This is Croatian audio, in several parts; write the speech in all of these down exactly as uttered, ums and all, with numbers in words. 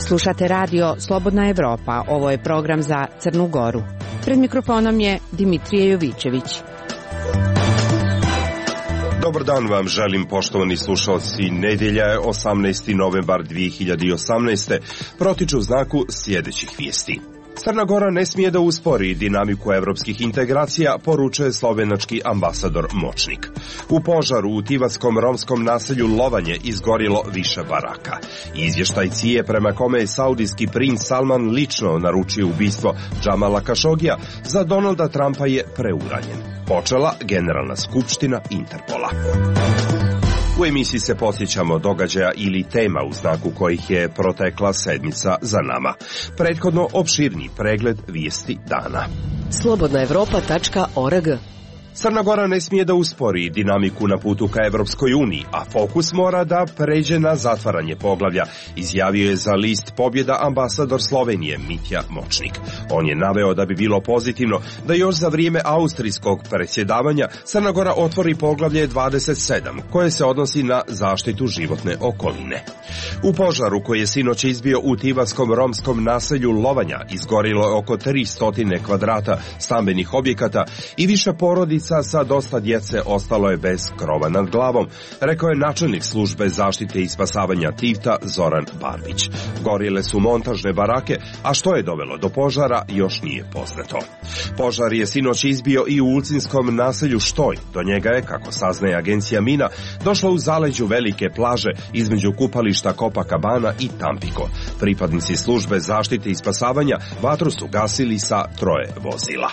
Slušate radio Slobodna Evropa. Ovo je program za Crnu Goru. Pred mikrofonom je Dimitrije Jovićević. Dobar dan vam želim, poštovani slušalci. Nedjelja je osamnaesti novembar dvije hiljade osamnaeste. Protiču u znaku sljedećih vijesti. Crna Gora ne smije da uspori dinamiku evropskih integracija, poručuje slovenački ambasador Močnik. U požaru u tivatskom romskom naselju Lovanje izgorilo više baraka. Izvještaj C I A prema kome je saudijski princ Salman lično naručio ubistvo Džamala Kašogija za Donalda Trumpa je preuranjen. Počela Generalna skupština Interpola. U emisiji se podsjećamo događaja ili tema u znaku kojih je protekla sedmica za nama. Prethodno opširni pregled vijesti dana. slobodna evropa tačka org. Crna Gora ne smije da uspori dinamiku na putu ka Evropskoj uniji, a fokus mora da pređe na zatvaranje poglavlja, izjavio je za list Pobjeda ambasador Slovenije Mitja Močnik. On je naveo da bi bilo pozitivno da još za vrijeme austrijskog predsjedavanja Crna Gora otvori poglavlje dvadeset sedam, koje se odnosi na zaštitu životne okoline. U požaru koji je sinoć izbio u tivatskom romskom naselju Lovanja izgorilo je oko tristo kvadrata stambenih objekata i više porodica sa dosta djece ostalo je bez krova nad glavom, rekao je načelnik službe zaštite i spasavanja Tivta Zoran Barbić. Gorile su montažne barake, a što je dovelo do požara još nije poznato. Požar je sinoć izbio i u ulcinskom naselju Štoj. Do njega je, kako saznaje agencija Mina, došlo u zaleđu velike plaže između kupališta Copacabana i Tampico. Pripadnici službe zaštite i spasavanja vatru su gasili sa troje vozila.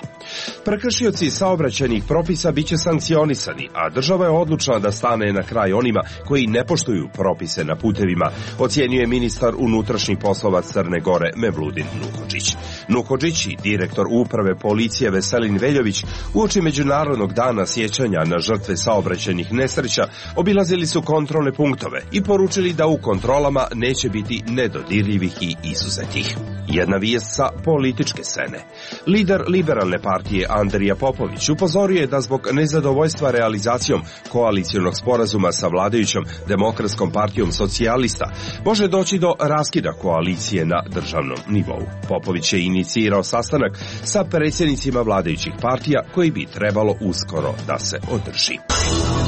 Prekršioci saobraćajnih propisa bit će sankcionisani, a država je odlučna da stane na kraj onima koji ne poštuju propise na putevima, ocjenjuje ministar unutrašnjih poslova Crne Gore Mevludin Nuhodžić. Nuhodžić i direktor uprave policije Veselin Veljović uoči Međunarodnog dana sjećanja na žrtve saobraćajnih nesreća obilazili su kontrolne punktove i poručili da u kontrolama neće biti nedodirljivih i izuzetih. Jedna vijest sa političke scene. Lider liberalne partije Andrija Popović upozorio je da zbog nezadovoljstva realizacijom koalicionog sporazuma sa vladajućom Demokratskom partijom socijalista može doći do raskida koalicije na državnom nivou. Popović je inicirao sastanak sa predsjednicima vladajućih partija koji bi trebalo uskoro da se održi.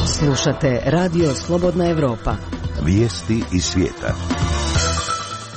Slušate radio Slobodna Evropa. Vijesti iz svijeta.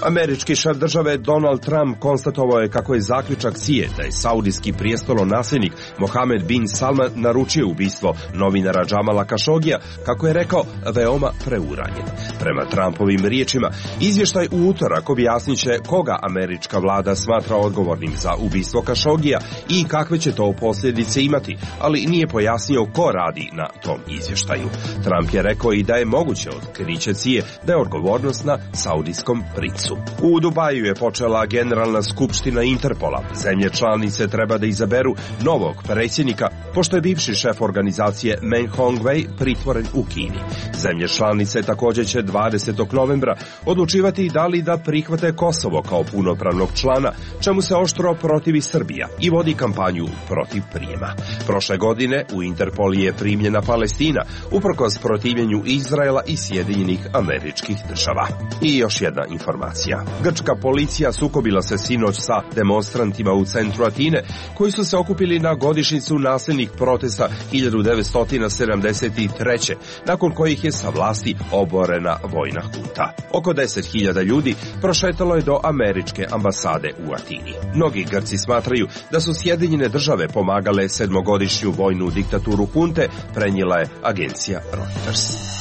Američki šef države Donald Trump konstatovao je kako je zaključak C I A da je saudijski prijestolonasljednik Mohamed bin Salman naručio ubistvo novinara Džamala Kašogija, kako je rekao, veoma preuranjen. Prema Trumpovim riječima, izvještaj u utorak objasnit će koga američka vlada smatra odgovornim za ubistvo Kašogija i kakve će to posljedice imati, ali nije pojasnio ko radi na tom izvještaju. Trump je rekao i da je moguće otkriće C I A da je odgovornost na saudijskom princu. U Dubaju je počela Generalna skupština Interpola. Zemlje članice treba da izaberu novog predsjednika, pošto je bivši šef organizacije Meng Hongwei pritvoren u Kini. Zemlje članice također će dvadesetog novembra odlučivati da li da prihvate Kosovo kao punopravnog člana, čemu se oštro protivi Srbija i vodi kampanju protiv prijema. Prošle godine u Interpol je primljena Palestina, uprkos protivljenju Izraela i Sjedinjenih Američkih Država. I još jedna informacija. Grčka policija sukobila se sinoć sa demonstrantima u centru Atine, koji su se okupili na godišnjicu nasilnih protesta hiljadu devetsto sedamdeset treće. nakon kojih je sa vlasti oborena vojna hunta. Oko deset hiljada ljudi prošetalo je do američke ambasade u Atini. Mnogi Grci smatraju da su Sjedinjene Države pomagale sedmogodišnju vojnu diktaturu hunte, prenijela je agencija Reuters.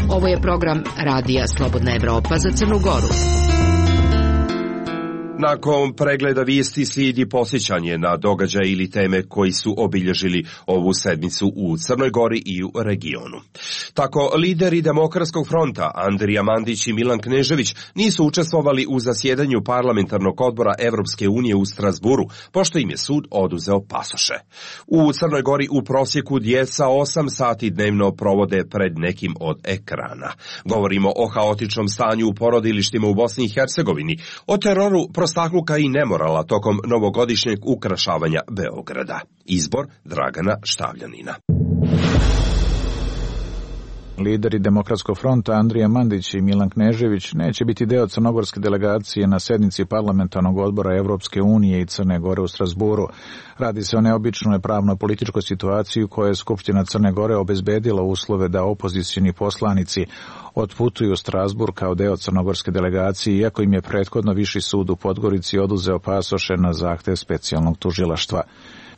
Ovo je program radija Slobodna Evropa za Crnu Goru. Nakon pregleda vijesti slijedi posjećanje na događaj ili teme koji su obilježili ovu sedmicu u Crnoj Gori i u regionu. Tako, lideri Demokratskog fronta Andrija Mandić i Milan Knežević nisu učestvovali u zasjedanju parlamentarnog odbora Evropske unije u Strasburu, pošto im je sud oduzeo pasoše. U Crnoj Gori u prosjeku djeca osam sati dnevno provode pred nekim od ekrana. Govorimo o haotičnom stanju u porodilištima u Bosni i Hercegovini, o teroru prostakluka i nemorala tokom novogodišnjeg ukrašavanja Beograda. Izbor Dragana Štavljanina. Lideri Demokratskog fronta Andrija Mandić i Milan Knežević neće biti deo crnogorske delegacije na sednici parlamentarnog odbora Evropske unije i Crne Gore u Strazburu. Radi se o neobičnoj pravno-političkoj situaciji u kojoj je Skupština Crne Gore obezbedila uslove da opozicioni poslanici otputuju u Strazbur kao deo crnogorske delegacije, iako im je prethodno Viši sud u Podgorici oduzeo pasoše na zahtev specijalnog tužilaštva.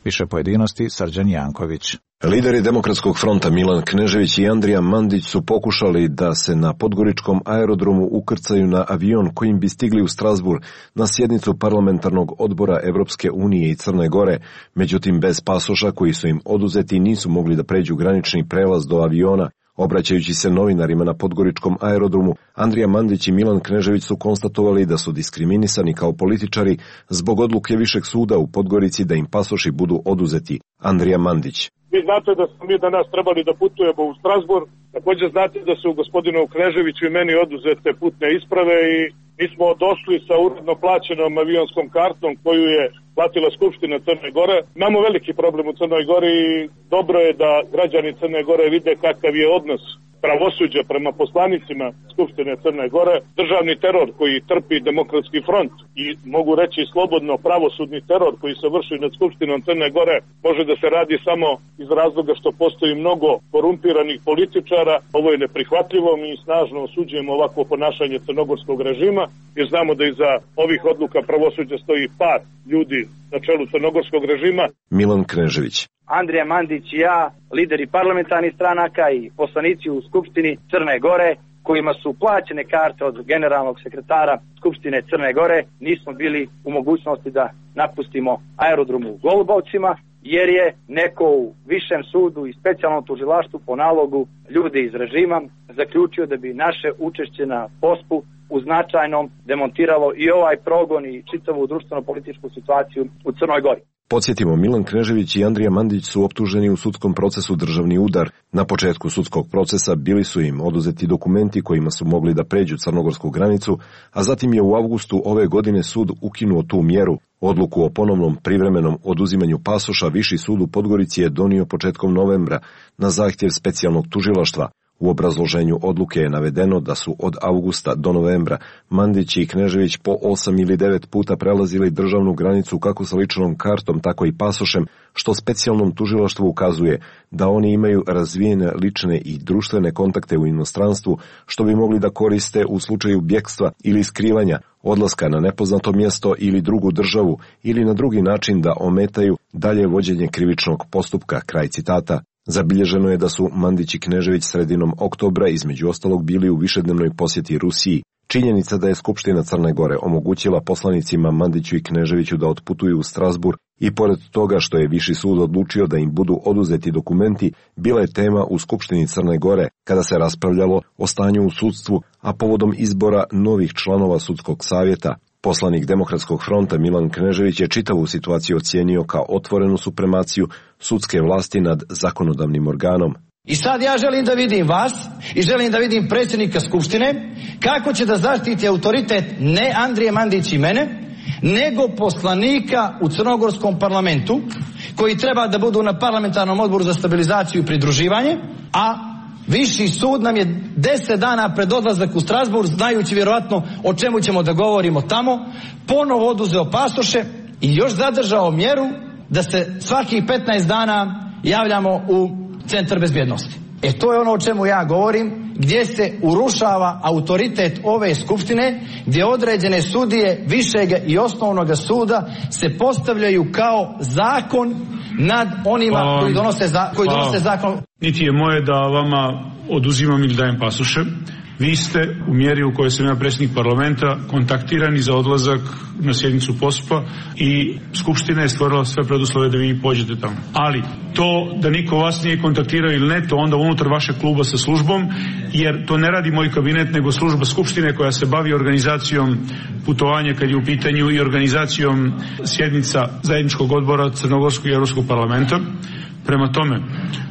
Više pojedinosti Srđan Janković. Lideri Demokratskog fronta Milan Knežević i Andrija Mandić su pokušali da se na podgoričkom aerodromu ukrcaju na avion kojim bi stigli u Strazbur na sjednicu parlamentarnog odbora Evropske unije i Crne Gore, međutim bez pasoša koji su im oduzeti nisu mogli da pređu granični prelaz do aviona. Obraćajući se novinarima na podgoričkom aerodromu, Andrija Mandić i Milan Knežević su konstatovali da su diskriminisani kao političari zbog odluke Višeg suda u Podgorici da im pasoši budu oduzeti. Andrija Mandić. Vi znate da smo mi danas trebali da putujemo u Strazbur, također znate da su gospodinu Kneževiću i meni oduzete putne isprave i mi smo došli sa uredno plaćenom avionskom kartom koju je platila Skupština Crne Gore. Imamo veliki problem u Crnoj Gori i dobro je da građani Crne Gore vide kakav je odnos pravosuđa prema poslanicima Skupštine Crne Gore, državni teror koji trpi Demokratski front i mogu reći slobodno pravosudni teror koji se vrši nad Skupštinom Crne Gore može da se radi samo iz razloga što postoji mnogo korumpiranih političara. Ovo je neprihvatljivo, mi snažno osuđujemo ovako ponašanje crnogorskog režima jer znamo da iza ovih odluka pravosuđa stoji par ljudi na čelu crnogorskog režima. Milan Knežević. Andrija Mandić i ja, lideri parlamentarnih stranaka i poslanici u Skupštini Crne Gore, kojima su plaćene karte od generalnog sekretara Skupštine Crne Gore, nismo bili u mogućnosti da napustimo aerodrom u Golubovcima, jer je neko u Višem sudu i specijalnom tužilaštvu po nalogu ljudi iz režima zaključio da bi naše učešće na pospu u značajnom demontiralo i ovaj progon i čitavu društveno-političku situaciju u Crnoj Gori. Podsjetimo, Milan Knežević i Andrija Mandić su optuženi u sudskom procesu državni udar. Na početku sudskog procesa bili su im oduzeti dokumenti kojima su mogli da pređu crnogorsku granicu, a zatim je u avgustu ove godine sud ukinuo tu mjeru. Odluku o ponovnom privremenom oduzimanju pasoša Viši sud u Podgorici je donio početkom novembra na zahtjev specijalnog tužilaštva. U obrazloženju odluke je navedeno da su od avgusta do novembra Mandić i Knežević po osam ili devet puta prelazili državnu granicu kako sa ličnom kartom, tako i pasošem, što specijalnom tužilaštvu ukazuje da oni imaju razvijene lične i društvene kontakte u inostranstvu, što bi mogli da koriste u slučaju bjekstva ili skrivanja, odlaska na nepoznato mjesto ili drugu državu ili na drugi način da ometaju dalje vođenje krivičnog postupka. Kraj citata. Zabilježeno je da su Mandić i Knežević sredinom oktobra između ostalog bili u višednevnoj posjeti Rusiji. Činjenica da je Skupština Crne Gore omogućila poslanicima Mandiću i Kneževiću da otputuju u Strazbur i pored toga što je Viši sud odlučio da im budu oduzeti dokumenti, bila je tema u Skupštini Crne Gore kada se raspravljalo o stanju u sudstvu, a povodom izbora novih članova sudskog savjeta. Poslanik Demokratskog fronta Milan Knežević je čitavu situaciju ocijenio kao otvorenu supremaciju sudske vlasti nad zakonodavnim organom. I sad ja želim da vidim vas i želim da vidim predsjednika Skupštine kako će da zaštiti autoritet ne Andrije Mandić i mene, nego poslanika u crnogorskom parlamentu koji treba da budu na parlamentarnom odboru za stabilizaciju i pridruživanje, a Viši sud nam je deset dana pred odlazak u Strazbur, znajući vjerojatno o čemu ćemo da govorimo tamo, ponovo oduzeo pasoše i još zadržao mjeru da se svakih petnaest dana javljamo u centar bezbjednosti. E to je ono o čemu ja govorim, gdje se urušava autoritet ove skupštine, gdje određene sudije višeg i osnovnog suda se postavljaju kao zakon nad onima Hvala. koji donose, za, koji donose zakon. Niti je moje da vama oduzimam ili dajem pasoše. Vi ste u mjeri u kojoj sam ja predsjednik parlamenta kontaktirani za odlazak na sjednicu pospa i Skupština je stvorila sve preduslove da vi pođete tamo. Ali to da niko vas nije kontaktirao ili ne, to onda unutar vašeg kluba sa službom, jer to ne radi moj kabinet nego služba Skupštine koja se bavi organizacijom putovanja kad je u pitanju i organizacijom sjednica zajedničkog odbora Crnogorskog i Europskog parlamenta. Prema tome,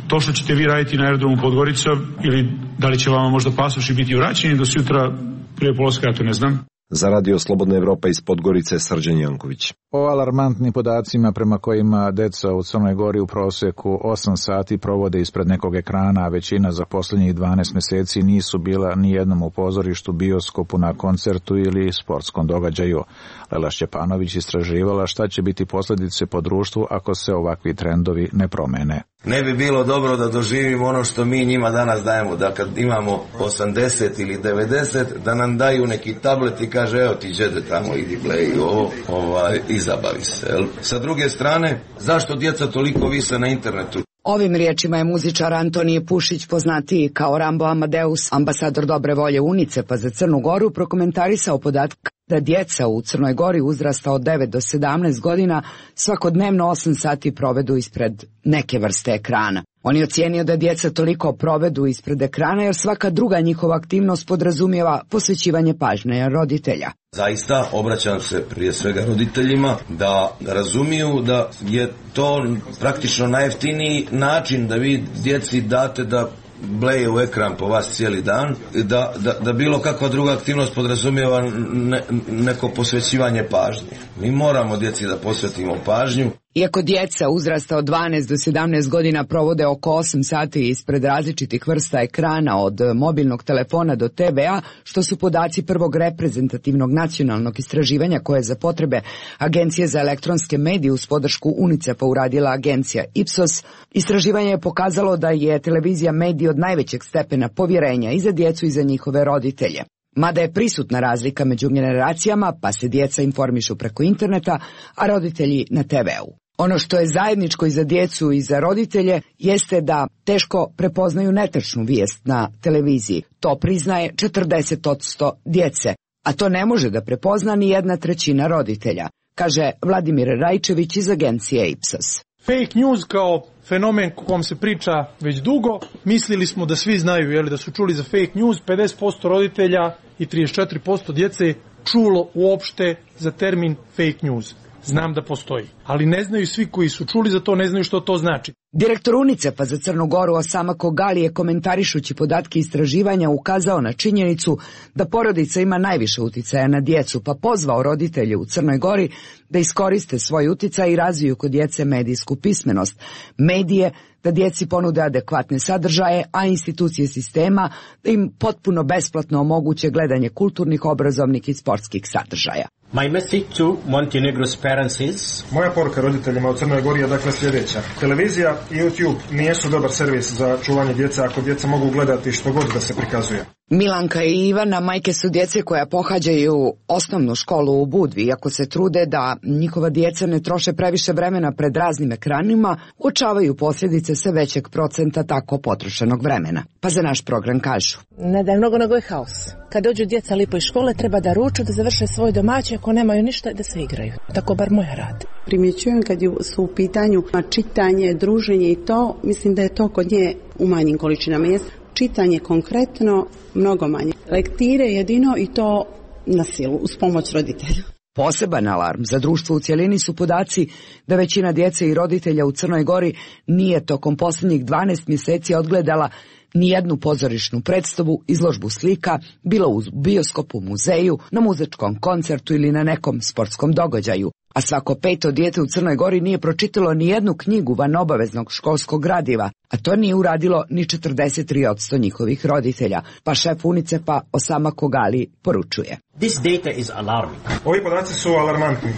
to što ćete vi raditi na aerodromu Podgorica ili da li će vama možda pasoši biti vraćeni do sutra prije polaska, ja to ne znam. Za Radio Slobodna Evropa iz Podgorice, Srđan Janković. O alarmantnim podacima prema kojima deca u Crnoj Gori u proseku osam sati provode ispred nekog ekrana, a većina za posljednjih dvanaest mjeseci nisu bila ni jednom u pozorištu, bioskopu, na koncertu ili sportskom događaju. Lela Šćepanović istraživala šta će biti posljedice po društvu ako se ovakvi trendovi ne promene. Ne bi bilo dobro da doživimo ono što mi njima danas dajemo, da kad imamo osamdeset ili devedeset, da nam daju neki tablet i kaže evo ti džede tamo, idi play ovo, ovaj, i zabavi se. Jel? Sa druge strane, zašto djeca toliko vise na internetu? Ovim riječima je muzičar Antonije Pušić, poznatiji kao Rambo Amadeus, ambasador dobre volje UNICEF-a za Crnu Goru, prokomentarisao podatak da djeca u Crnoj Gori uzrasta od devet do sedamnaest godina svakodnevno osam sati provedu ispred neke vrste ekrana. On je ocijenio da djeca toliko provedu ispred ekrana jer svaka druga njihova aktivnost podrazumijeva posvećivanje pažnje roditelja. Zaista obraćam se prije svega roditeljima da razumiju da je to praktično najjeftiniji način da vi djeci date da bleje u ekran po vas cijeli dan, da, da, da bilo kakva druga aktivnost podrazumijeva ne, neko posvećivanje pažnje. Mi moramo djeci da posvetimo pažnju. Iako djeca uzrasta od dvanaest do sedamnaest godina provode oko osam sati ispred različitih vrsta ekrana od mobilnog telefona do te ve a, što su podaci prvog reprezentativnog nacionalnog istraživanja koje za potrebe Agencije za elektronske medije uz podršku UNICEF-a uradila agencija Ipsos, istraživanje je pokazalo da je televizija medij od najvećeg stepena povjerenja i za djecu i za njihove roditelje. Mada je prisutna razlika među generacijama, pa se djeca informišu preko interneta, a roditelji na te ve u. Ono što je zajedničko i za djecu i za roditelje jeste da teško prepoznaju netačnu vijest na televiziji. To priznaje četrdeset posto djece, a to ne može da prepozna ni jedna trećina roditelja, kaže Vladimir Rajčević iz agencije Ipsos. Fake news kao fenomen o kom se priča već dugo, mislili smo da svi znaju, jeli, da su čuli za fake news, pedeset posto roditelja i trideset četiri posto djece čulo uopšte za termin fake news. Znam da postoji, ali ne znaju svi koji su čuli za to, ne znaju što to znači. Direktor UNICEF-a za Crnu Goru Osama Kogali je komentarišući podatke istraživanja ukazao na činjenicu da porodica ima najviše uticaja na djecu, pa pozvao roditelje u Crnoj Gori da iskoriste svoj uticaj i razviju kod djece medijsku pismenost, medije, da djeci ponude adekvatne sadržaje, a institucije sistema da im potpuno besplatno omoguće gledanje kulturnih, obrazovnih i sportskih sadržaja. My message to Montenegro's parents is... Moja poruka roditeljima u Crnoj Gori je dakle sljedeća. Televizija i YouTube nijesu dobar servis za čuvanje djece ako djeca mogu gledati što god da se prikazuje. Milanka i Ivana majke su djece koja pohađaju osnovnu školu u Budvi. Iako se trude da njihova djeca ne troše previše vremena pred raznim ekranima, uočavaju posljedice sve većeg procenta tako potrošenog vremena. Pa za naš program kažu. Ne da je mnogo, nego je haos. Kad dođu djeca lipo iz škole, treba da ruču, da završe svoj domaći, ako nemaju ništa, da se igraju. Tako bar moja radi. Primjećujem kad su u pitanju čitanje, druženje i to, mislim da je to kod nje u manjim količinama. Čitanje konkretno, mnogo manje. Lektire jedino i to na silu, uz pomoć roditelja. Poseban alarm za društvo u cjelini su podaci da većina djece i roditelja u Crnoj Gori nije tokom posljednjih dvanaest mjeseci odgledala nijednu pozorišnu predstavu, izložbu slika, bilo u bioskopu, muzeju, na muzičkom koncertu ili na nekom sportskom događaju. A svako peto dijete u Crnoj Gori nije pročitalo ni jednu knjigu van obaveznog školskog gradiva, a to nije uradilo ni četrdeset tri posto njihovih roditelja, pa šef UNICEF-a Osama Kogali poručuje. This data is alarming. Ovi podaci su alarmantni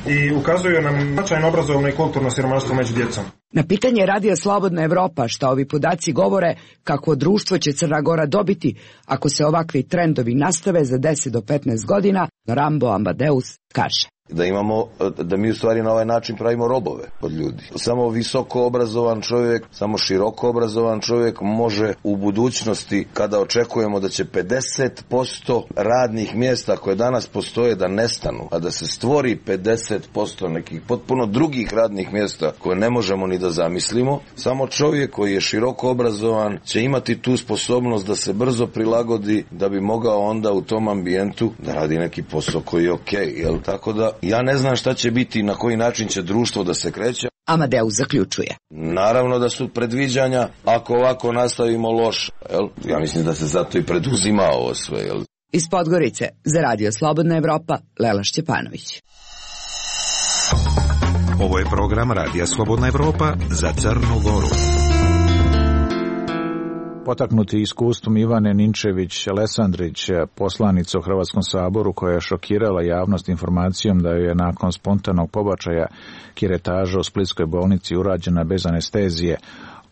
i ukazuju nam značajno obrazovno i kulturno siromaštvo među djecom. Na pitanje Radija Slobodna Evropa šta ovi podaci govore, kakvo društvo će Crna Gora dobiti ako se ovakvi trendovi nastave za deset do petnaest godina, Rambo Amadeus kaže. Da imamo, da mi u stvari na ovaj način pravimo robove od ljudi. Samo visoko obrazovan čovjek, samo široko obrazovan čovjek može u budućnosti, kada očekujemo da će pedeset posto radnih mjesta koje danas postoje da nestanu, a da se stvori pedeset posto nekih potpuno drugih radnih mjesta koje ne možemo ni da zamislimo, samo čovjek koji je široko obrazovan će imati tu sposobnost da se brzo prilagodi, da bi mogao onda u tom ambijentu da radi neki posao koji je okej, okay, jel? Tako da ja ne znam šta će biti, na koji način će društvo da se kreće. Amadeus zaključuje. Naravno da su predviđanja, ako ovako nastavimo loš, jel? Ja mislim da se zato i preduzima ovo sve, jel? Iz Podgorice za Radio Slobodna Evropa, Lela Šćepanović. Ovo je program Radija Slobodna Evropa za Crnu Goru. Potaknuti iskustvom Ivane Ninčević-Lesandrić, poslanica u Hrvatskom saboru koja je šokirala javnost informacijom da je nakon spontanog pobačaja kiretaža u Splitskoj bolnici urađena bez anestezije,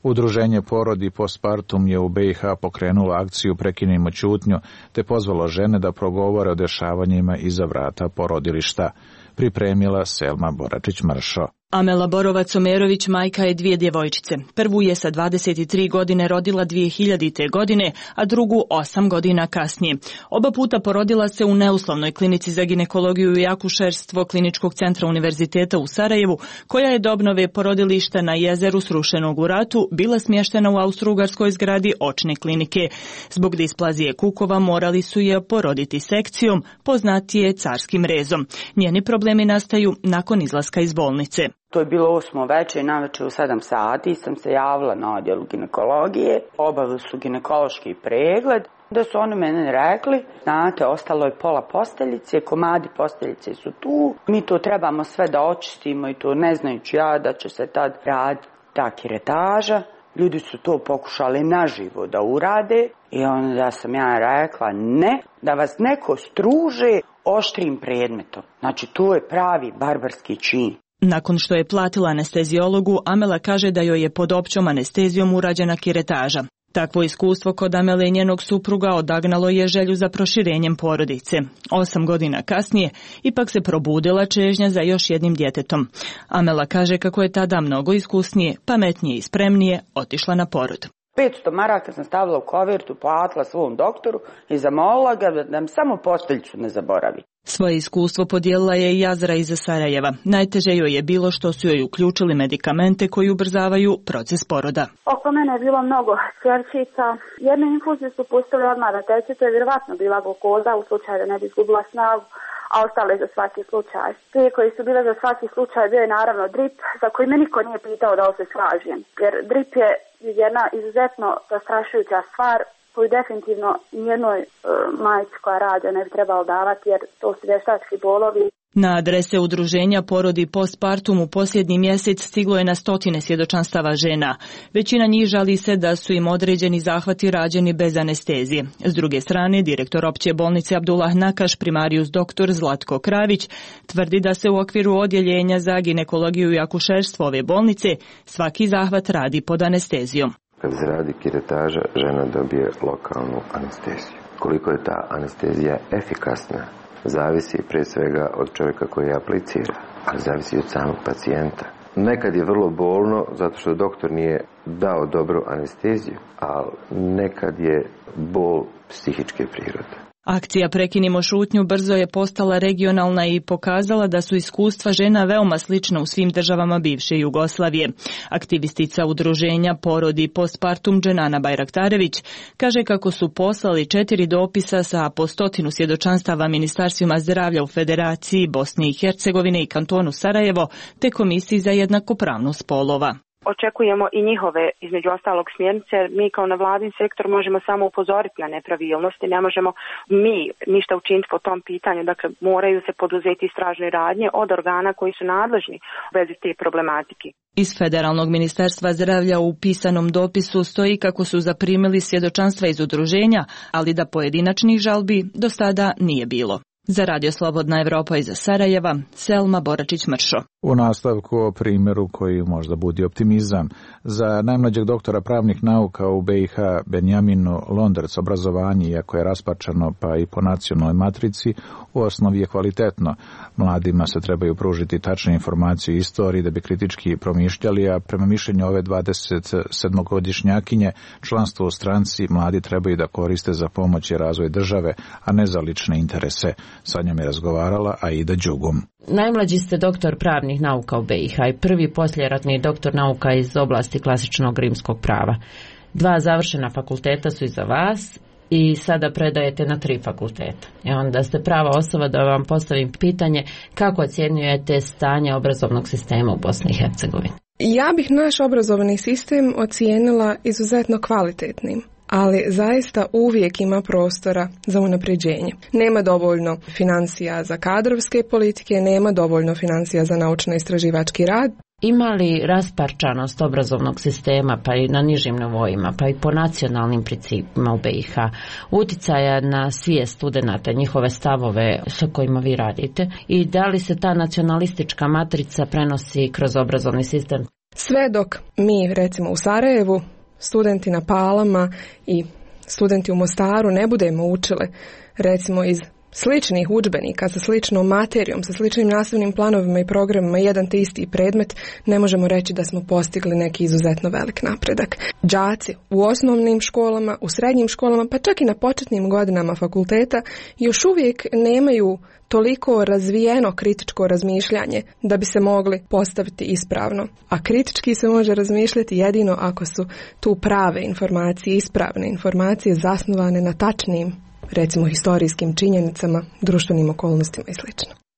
Udruženje Porodi postpartum je u B i H pokrenulo akciju Prekinimo ćutnju te pozvalo žene da progovore o dešavanjima iza vrata porodilišta. Pripremila Selma Boračić-Mršo. Amela Borovac-Omerović majka je dvije djevojčice. Prvu je sa dvadeset tri godine rodila dvije hiljadite. godine, a drugu osam godina kasnije. Oba puta porodila se u neuslovnoj klinici za ginekologiju i akušerstvo Kliničkog centra Univerziteta u Sarajevu, koja je do obnove porodilišta na jezeru srušenog u ratu bila smještena u austrougarskoj zgradi očne klinike. Zbog displazije kukova morali su je poroditi sekcijom, poznatije carskim rezom. Njeni problemi nastaju nakon izlaska iz bolnice. To je bilo osmo večer, navečer u sedam sati sam se javila na odjelu ginekologije, obavili su ginekološki pregled, da su oni meni rekli, znate, ostalo je pola posteljice, komadi posteljice su tu, mi to trebamo sve da očistimo i to ne znajući ja da će se tad raditi ta kiretaža. Ljudi su to pokušali naživo da urade i onda sam ja rekla ne, da vas neko struže oštrim predmetom. Znači to je pravi barbarski čin. Nakon što je platila anestezijologu, Amela kaže da joj je pod općom anestezijom urađena kiretaža. Takvo iskustvo kod Amele i njenog supruga odagnalo je želju za proširenjem porodice. Osam godina kasnije ipak se probudila čežnja za još jednim djetetom. Amela kaže kako je tada mnogo iskusnije, pametnije i spremnije otišla na porod. petsto maraka sam stavila u kovertu, platila svom doktoru i zamolila ga da mi samo posteljicu ne zaboravi. Svoje iskustvo podijelila je i Azra iz Sarajeva. Najteže joj je bilo što su joj uključili medikamente koji ubrzavaju proces poroda. Oko mene je bilo mnogo ćerčica. Jedne infuzije su pustili odmah da teče, to je vjerovatno bila glukoza u slučaju da ne bi izgubila snagu, a ostale za svaki slučaj. Prije koji su bile za svaki slučaj bio je naravno drip, za koji me niko nije pitao da li se slažem. Jer drip je jedna izuzetno zastrašujuća stvar koju definitivno nijednoj e, majci koja rađa ne bi trebalo davati, jer to su vještački bolovi. Na adrese udruženja Porodi postpartum u posljednji mjesec stiglo je na stotine svjedočanstava žena. Većina njih žali se da su im određeni zahvati rađeni bez anestezije. S druge strane, direktor opće bolnice Abdullah Nakaš, primarijus doktor Zlatko Kravić, tvrdi da se u okviru odjeljenja za ginekologiju i akušerstvo ove bolnice svaki zahvat radi pod anestezijom. Kad se radi kiretaža, žena dobije lokalnu anesteziju. Koliko je ta anestezija efikasna, zavisi prije svega od čovjeka koji je aplicira, ali zavisi od samog pacijenta. Nekad je vrlo bolno zato što doktor nije dao dobru anesteziju, ali nekad je bol psihičke prirode. Akcija Prekinimo šutnju brzo je postala regionalna i pokazala da su iskustva žena veoma slična u svim državama bivše Jugoslavije. Aktivistica udruženja Porodi postpartum Dženana Bajraktarević kaže kako su poslali četiri dopisa sa po stotinu svjedočanstava ministarstvima zdravlja u Federaciji Bosne i Hercegovine i kantonu Sarajevo te Komisiji za jednakopravnost spolova. Očekujemo i njihove, između ostalog, smjernice. Mi kao nevladin sektor možemo samo upozoriti na nepravilnosti, ne možemo mi ništa učiniti po tom pitanju. Dakle, moraju se poduzeti istražne radnje od organa koji su nadležni u vezi te problematike. Iz Federalnog ministarstva zdravlja u pisanom dopisu stoji kako su zaprimili svjedočanstva iz udruženja, ali da pojedinačnih žalbi do sada nije bilo. Za Radio Slobodna Evropa iz Sarajeva, Selma Boračić-Mršo. U nastavku o primjeru koji možda budi optimizam. Za najmlađeg doktora pravnih nauka u B i H Benjaminu Londerc obrazovanje, iako je raspačano pa i po nacionalnoj matrici, u osnovi je kvalitetno. Mladima se trebaju pružiti tačne informacije o istoriji da bi kritički promišljali, a prema mišljenju ove dvadesetsedmogodišnjakinje članstvo u stranci mladi trebaju da koriste za pomoć i razvoj države, a ne za lične interese. Sa njom je razgovarala Aida Đugum. Najmlađi ste doktor pravnih nauka u B i H i prvi poslijeratni doktor nauka iz oblasti klasičnog rimskog prava. Dva završena fakulteta su iza vas i sada predajete na tri fakulteta. I onda ste prava osoba da vam postavim pitanje kako ocjenjujete stanje obrazovnog sistema u Bosni i Hercegovini. Ja bih naš obrazovni sistem ocijenila izuzetno kvalitetnim. ali zaista uvijek ima prostora za unapređenje. Nema dovoljno financija za kadrovske politike, nema dovoljno financija za naučno-istraživački rad. Ima li rasparčanost obrazovnog sistema, pa i na nižim nivoima, pa i po nacionalnim principima u B i H, uticaja na svijest studenata, njihove stavove sa kojima vi radite, i da li se ta nacionalistička matrica prenosi kroz obrazovni sistem? Sve dok mi, recimo u Sarajevu, studenti na Palama i studenti u Mostaru ne budemo učile, recimo iz sličnih udžbenika, sa sličnom materijom, sa sličnim nastavnim planovima i programima, jedan te isti predmet, ne možemo reći da smo postigli neki izuzetno velik napredak. Đaci u osnovnim školama, u srednjim školama, pa čak i na početnim godinama fakulteta još uvijek nemaju toliko razvijeno kritičko razmišljanje da bi se mogli postaviti ispravno. A kritički se može razmišljati jedino ako su tu prave informacije, ispravne informacije zasnovane na tačnim, recimo historijskim činjenicama, društvenim okolnostima i sl.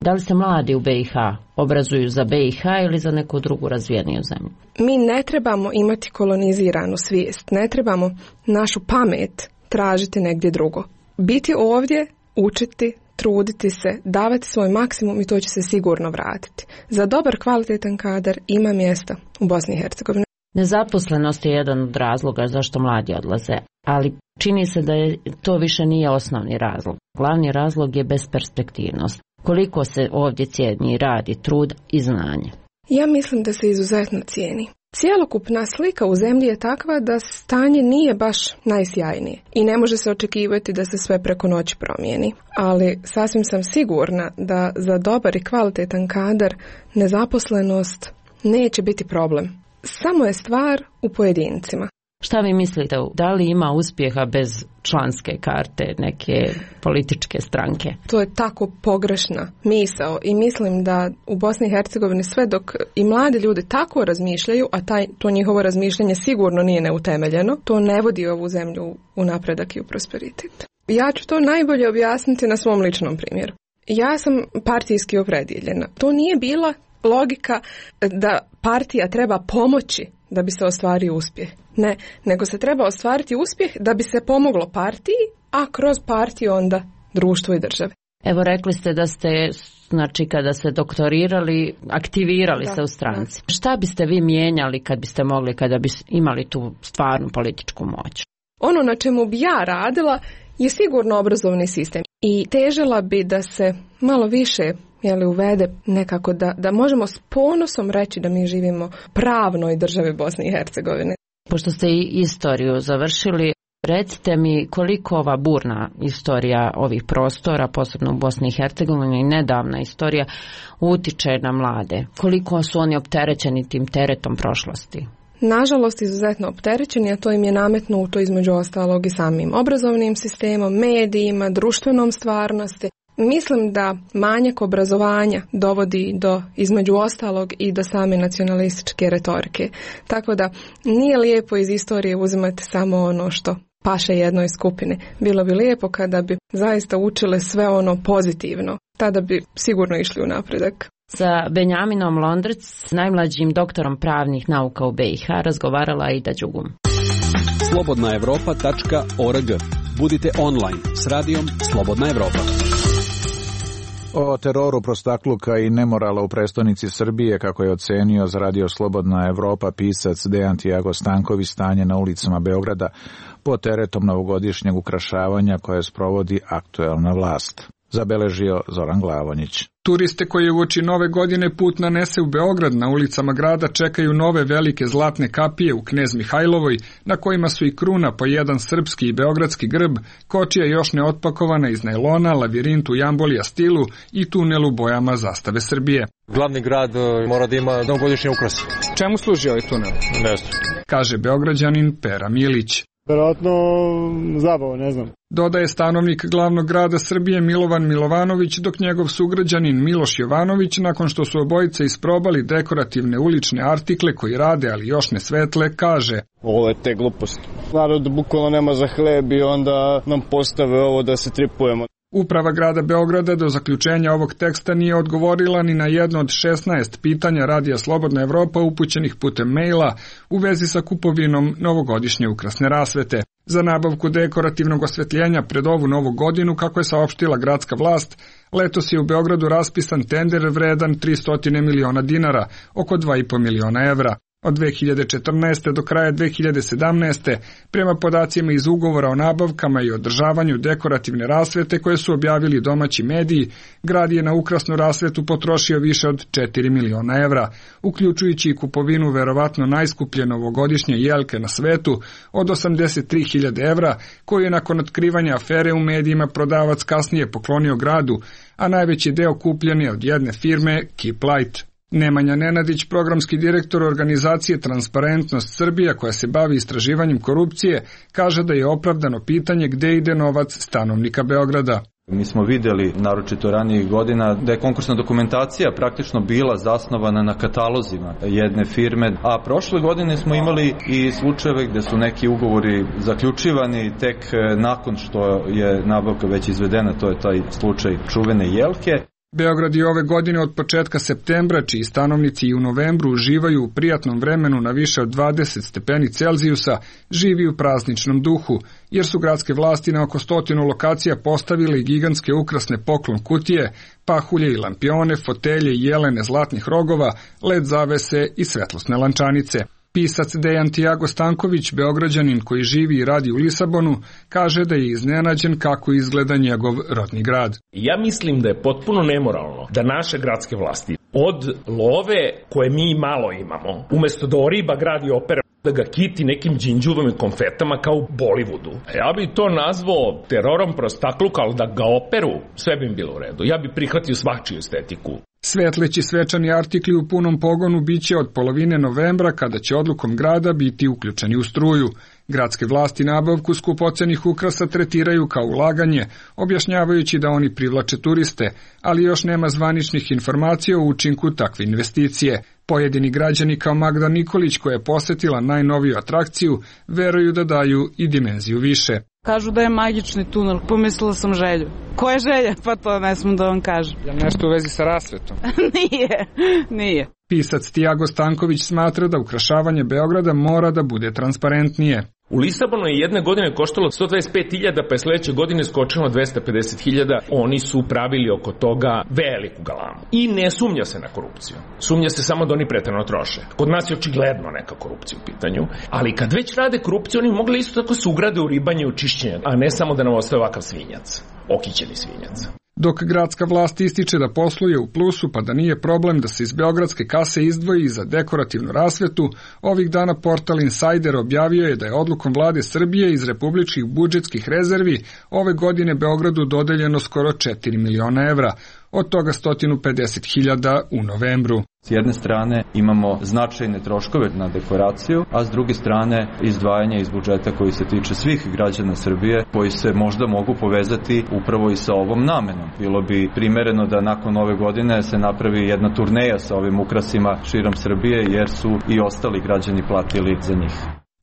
Da li se mladi u B i H obrazuju za B i H ili za neku drugu razvijeniju zemlju? Mi ne trebamo imati koloniziranu svijest, ne trebamo našu pamet tražiti negdje drugo. Biti ovdje, učiti, truditi se, davati svoj maksimum i to će se sigurno vratiti. Za dobar, kvalitetan kadar ima mjesta u Bosni i Hercegovini. Nezaposlenost je jedan od razloga zašto mladi odlaze, ali čini se da je to više nije osnovni razlog. Glavni razlog je besperspektivnost. Koliko se ovdje cijeni rad i trud i znanje? Ja mislim da se izuzetno cijeni. Cijelokupna slika u zemlji je takva da stanje nije baš najsjajnije i ne može se očekivati da se sve preko noći promijeni. Ali sasvim sam sigurna da za dobar i kvalitetan kadar nezaposlenost neće biti problem. Samo je stvar u pojedincima. Šta vi mislite, da li ima uspjeha bez članske karte neke političke stranke? To je tako pogrešna misao i mislim da u Bosni i Hercegovini sve dok i mladi ljudi tako razmišljaju, a taj, to njihovo razmišljanje sigurno nije neutemeljeno, to ne vodi ovu zemlju u napredak i u prosperitet. Ja ću to najbolje objasniti na svom ličnom primjeru. Ja sam partijski opredjeljena. To nije bila logika da partija treba pomoći da bi se ostvario uspjeh. Ne, nego se treba ostvariti uspjeh da bi se pomoglo partiji, a kroz partiju onda društvu i državi. Evo, rekli ste da ste, znači, kada ste doktorirali, aktivirali da, se u stranci. Da. Šta biste vi mijenjali kad biste mogli, kada bi imali tu stvarnu političku moć? Ono na čemu bi ja radila je sigurno obrazovni sistem. I težila bi da se malo više jeli, uvede nekako da, da možemo s ponosom reći da mi živimo u pravnoj državi Bosne i Hercegovine. Pošto ste i istoriju završili, recite mi koliko ova burna istorija ovih prostora, posebno u Bosni i Hercegovini, i nedavna istorija, utiče na mlade. Koliko su oni opterećeni tim teretom prošlosti? Nažalost, izuzetno opterećeni, a to im je nametnuto između ostalog i samim obrazovnim sistemom, medijima, društvenom stvarnosti. Mislim da manjak obrazovanja dovodi do, između ostalog, i do same nacionalističke retorike. Tako da nije lijepo iz istorije uzimati samo ono što paše jednoj skupine. Bilo bi lijepo kada bi zaista učile sve ono pozitivno. Tada bi sigurno išli u napredak. Sa Benjaminom Londrec, najmlađim doktorom pravnih nauka u B i H, razgovarala Aida Đugum. slobodna evropa tačka org. Budite online s radijom Slobodna Evropa. O teroru, prostakluka i nemorala u prestonici Srbije, kako je ocenio za radio Slobodna Evropa pisac Dejan Tiago Stanković, stanje na ulicama Beograda pod teretom novogodišnjeg ukrašavanja koje sprovodi aktuelna vlast. Zabeležio Zoran Glavonjić. Turiste koji uoči nove godine put nanese u Beograd, na ulicama grada čekaju nove velike zlatne kapije u Knez Mihajlovoj, na kojima su i kruna po jedan srpski i beogradski grb, kočija još neotpakovana iz najlona, lavirint u jambolija stilu i tunel u bojama zastave Srbije. Glavni grad mora da ima novogodišnji ukras. Čemu služi ovaj tunel? Ne znam. Kaže Beograđanin Pera Milić. Verovatno zabava, ne znam. Dodaje stanovnik glavnog grada Srbije Milovan Milovanović, dok njegov sugrađanin Miloš Jovanović, nakon što su obojice isprobali dekorativne ulične artikle koji rade, ali još ne svetle, kaže: Ovo je te gluposti. Narod bukvalno nema za hleb i onda nam postave ovo da se tripujemo. Uprava grada Beograda do zaključenja ovog teksta nije odgovorila ni na jedno od šesnaest pitanja radija Slobodna Evropa upućenih putem maila u vezi sa kupovinom novogodišnje ukrasne rasvete. Za nabavku dekorativnog osvetljenja pred ovu novu godinu, kako je saopštila gradska vlast, letos je u Beogradu raspisan tender vredan tristo miliona dinara, oko dva i po miliona evra. Od dve hiljade četrnaeste. do kraja dve hiljade sedamnaeste. prema podacima iz ugovora o nabavkama i održavanju dekorativne rasvete koje su objavili domaći mediji, grad je na ukrasnu rasvetu potrošio više od četiri miliona evra, uključujući i kupovinu verovatno najskuplje novogodišnje jelke na svetu od osamdeset tri hiljade evra, koju je nakon otkrivanja afere u medijima prodavac kasnije poklonio gradu, a najveći deo kupljen je od jedne firme Keep Light. Nemanja Nenadić, programski direktor organizacije Transparentnost Srbija koja se bavi istraživanjem korupcije, kaže da je opravdano pitanje gde ide novac stanovnika Beograda. Mi smo vidjeli, naročito ranijih godina, da je konkursna dokumentacija praktično bila zasnovana na katalozima jedne firme, a prošle godine smo imali i slučajeve gde su neki ugovori zaključivani tek nakon što je nabavka već izvedena, to je taj slučaj čuvene jelke. Beograd je ove godine od početka septembra, čiji stanovnici i u novembru uživaju u prijatnom vremenu na više od dvadeset stepeni Celzijusa, živi u prazničnom duhu, jer su gradske vlasti na oko stotinu lokacija postavile gigantske ukrasne poklon kutije, pahulje i lampione, fotelje i jelene zlatnih rogova, led zavese i svetlosne lančanice. Pisac Dejan Tiago Stanković, Beograđanin koji živi i radi u Lisabonu, kaže da je iznenađen kako izgleda njegov rodni grad. Ja mislim da je potpuno nemoralno da naše gradske vlasti od love koje mi malo imamo, umesto da oriba gradi opera, da ga kiti nekim đinđuvom i konfetama kao u Bollywoodu. Ja bi to nazvao terorom prostakluka, ali da ga operu, sve bi im bilo u redu. Ja bi prihvatio svačiju estetiku. Svetleći svečani artikli u punom pogonu biće od polovine novembra, kada će odlukom grada biti uključeni u struju. Gradske vlasti nabavku skupocenih ukrasa tretiraju kao ulaganje, objašnjavajući da oni privlače turiste, ali još nema zvaničnih informacija o učinku takve investicije. Pojedini građani kao Magda Nikolić, koja je posetila najnoviju atrakciju, veruju da daju i dimenziju više. Kažu da je magični tunel, pomislila sam Želju. Ko je Želja? Pa to ne smijem da vam kažem. Je nešto u vezi sa rasvetom? Nije, nije. Pisac Tiago Stanković smatra da ukrašavanje Beograda mora da bude transparentnije. U Lisabonu je jedne godine koštalo sto dvadeset pet hiljada, pa je sledeće godine skočilo na dvesta pedeset hiljada. Oni su pravili oko toga veliku galamu. I ne sumnja se na korupciju. Sumnja se samo da oni preterano troše. Kod nas je očigledno neka korupcija u pitanju. Ali kad već rade korupciju, oni mogli isto tako se ugrade u ribanje i u čišćenje, a ne samo da nam ostaje ovakav svinjac. Okićeni svinjac. Dok gradska vlast ističe da posluje u plusu pa da nije problem da se iz beogradske kase izdvoji za dekorativnu rasvetu, ovih dana portal Insider objavio je da je odlukom vlade Srbije iz republičkih budžetskih rezervi ove godine Beogradu dodeljeno skoro četiri miliona evra, od toga sto pedeset hiljada u novembru. S jedne strane imamo značajne troškove na dekoraciju, a s druge strane izdvajanje iz budžeta koji se tiče svih građana Srbije, koji se možda mogu povezati upravo i sa ovom namenom. Bilo bi primereno da nakon ove godine se napravi jedna turneja sa ovim ukrasima širom Srbije, jer su i ostali građani platili za njih.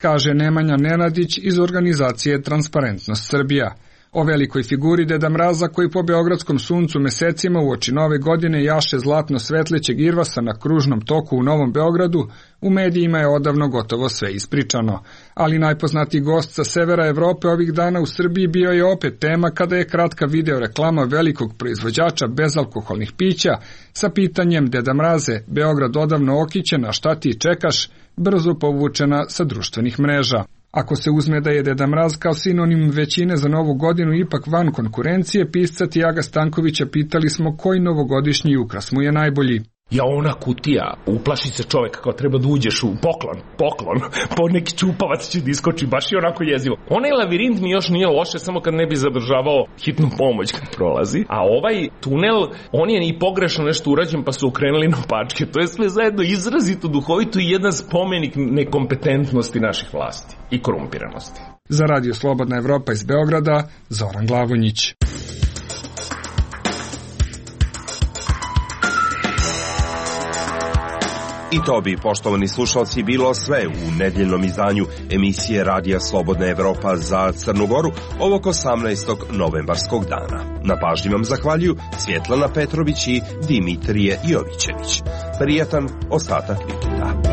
Kaže Nemanja Nenadić iz organizacije Transparentnost Srbija. O velikoj figuri Deda Mraza koji po beogradskom suncu mesecima uoči nove godine jaše zlatno svetlećeg irvasa na kružnom toku u Novom Beogradu, u medijima je odavno gotovo sve ispričano. Ali najpoznatiji gost sa severa Evrope ovih dana u Srbiji bio je opet tema kada je kratka video reklama velikog proizvođača bezalkoholnih pića sa pitanjem Deda Mraze, Beograd odavno okićen, a šta ti čekaš, brzo povučena sa društvenih mreža. Ako se uzme da je Deda Mraz kao sinonim većine za novu godinu ipak van konkurencije, pisca Tiaga Stankovića pitali smo koji novogodišnji ukras mu je najbolji. Ja, ona kutija, uplaši se čovjek kao treba da uđeš u poklon, poklon, po neki čupavac će da iskoči, baš je onako jezivo. Onaj lavirint mi još nije loše, samo kad ne bi zadržavao hitnu pomoć kad prolazi, a ovaj tunel, on je i pogrešno nešto urađen pa su okrenuli na opačke, to je sve zajedno izrazito duhovito i jedan spomenik nekompetentnosti naših vlasti i korumpiranosti. Za Radio Slobodna Evropa iz Beograda, Zoran Glavonjić. I to bi, poštovani slušalci, bilo sve u nedeljnom izdanju emisije Radija Slobodna Evropa za Crnu Goru ovog osamnaestog novembarskog dana. Na pažnji vam zahvaljuju Svjetlana Petrović i Dimitrije Jovićević. Prijatan ostatak vikenda.